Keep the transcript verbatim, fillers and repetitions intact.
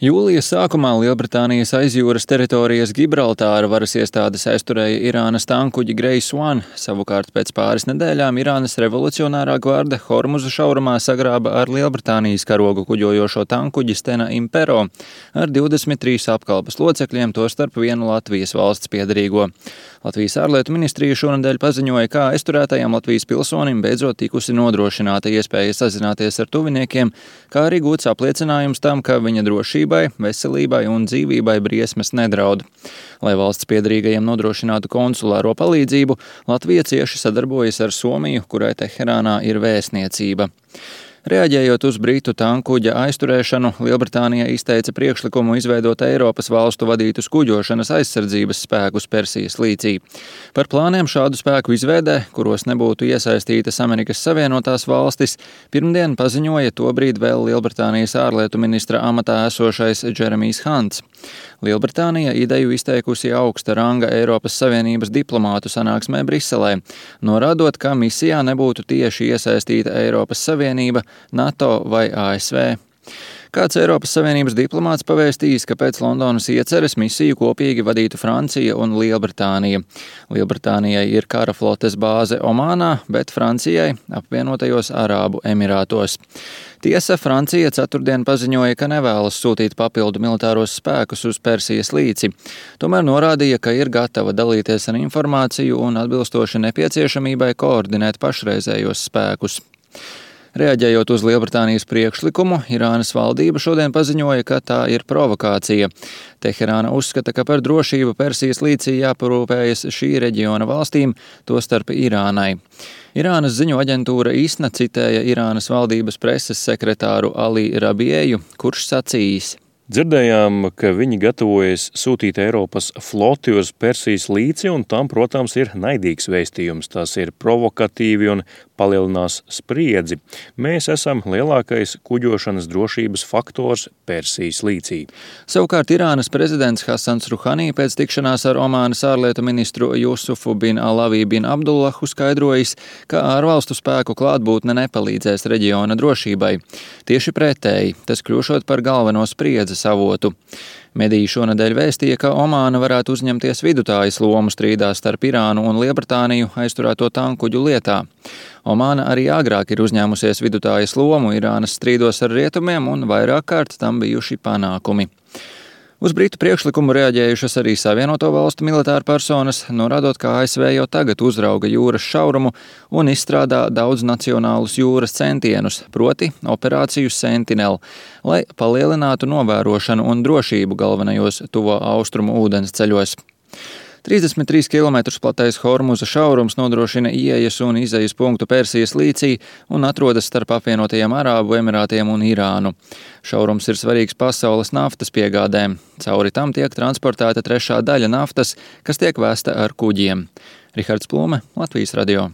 Jūlija sākumā Lielbritānijas aizjūras teritorijas Gibraltāra varas iestādes aizturēja Irānas tankuģi Grace One, savukārt pēc pāris nedēļām Irānas revolucionārā gvarde Hormuza šaurumā sagrāba ar Lielbritānijas karogu kuģojošo tankuģi Stena Impero ar divdesmit trīs apkalpes locekļiem, tostarp vienu Latvijas valsts piederīgo. Latvijas ārlietu ministrija šonedēļ paziņoja, kā aizturētajam Latvijas pilsonim beidzot tikusi nodrošināta iespēja sazināties ar tuviniekiem, kā arī gūts apliecinājums tam, ka viņa drošībai, veselībai un dzīvībai briesmas nedraud. Lai valsts piederīgajiem nodrošinātu konsulāro palīdzību, Latvija cieši sadarbojas ar Somiju, kurai Teherānā ir vēstniecība. Reaģējot uz britu tankuģa aizturēšanu, Lielbritānija izteica priekšlikumu izveidot Eiropas valstu vadītus kuģošanas aizsardzības spēkus Persijas līcī. Par plāniem šādu spēku izveidē, kuros nebūtu iesaistītas Amerikas Savienotās valstis, pirmdien paziņoja tobrīd vēl Lielbritānijas ārlietu ministra amatā esošais Džeremijs Hants. Lielbritānija ideju izteikusi augsta ranga Eiropas Savienības diplomātu sanāksmē Briselē, norādot, ka misijā nebūtu tieši iesaistīta Eiropas Savienība, NATO vai A S V. Kāds Eiropas Savienības diplomāts pavēstījis, ka pēc Londonas ieceres misiju kopīgi vadītu Francija un Lielbritānija. Lielbritānijai ir kara flotes bāze Omānā, bet Francijai apvienotajos Arābu Emirātos. Tiesa, Francija ceturtdien paziņoja, ka nevēlas sūtīt papildu militāros spēkus uz Persijas līci. Tomēr norādīja, ka ir gatava dalīties ar informāciju un atbilstoši nepieciešamībai koordinēt pašreizējos spēkus. Reaģējot uz Lielbritānijas priekšlikumu, Irānas valdība šodien paziņoja, ka tā ir provokācija. Teherāna uzskata, ka par drošību Persijas līcī jāparūpējas šī reģiona valstīm, tostarp Irānai. Irānas ziņu aģentūra ISNA citēja Irānas valdības preses sekretāru Ali Rabieju, kurš sacījis: Dzirdējām, ka viņi gatavojas sūtīt Eiropas floti uz Persijas līci, un tam, protams, ir naidīgs vēstījums. Tas ir provokatīvi un palielinās spriedzi. Mēs esam lielākais kuģošanas drošības faktors Persijas līcī. Savukārt Irānas prezidents Hasans Ruhanī pēc tikšanās ar Omānas ārlietu ministru Jusufu bin Alavī bin Abdullahu skaidrojis, ka ārvalstu spēku klātbūtne nepalīdzēs reģiona drošībai. Tieši pretēji, tas kļūšot par galveno spriedzes avotu. Mediji šonedēļ vēstīja, ka Omāna varētu uzņemties vidutājas lomu strīdā starp Irānu un Lielbritāniju aizturēto tankuģu lietā. Omāna arī agrāk ir uzņēmusies vidutājas lomu Irānas strīdos ar rietumiem un vairāk kārt tam bijuši panākumi. Uz britu priekšlikumu reaģējušas arī Savienoto valstu militāra personas, norādot, ka A S V jau tagad uzrauga jūras šaurumu un izstrādā daudznacionālus jūras centienus, proti operāciju Sentinel, lai palielinātu novērošanu un drošību galvenajos tuvo austrumu ūdensceļos. trīsdesmit trīs kilometrus platais Hormuza šaurums nodrošina ieejas un izejas punktu Persijas līcī un atrodas starp apvienotajiem Arābu Emirātiem un Irānu. Šaurums ir svarīgs pasaules naftas piegādēm. Cauri tam tiek transportēta trešā daļa naftas, kas tiek vēsta ar kuģiem. Rihards Plume, Latvijas radio.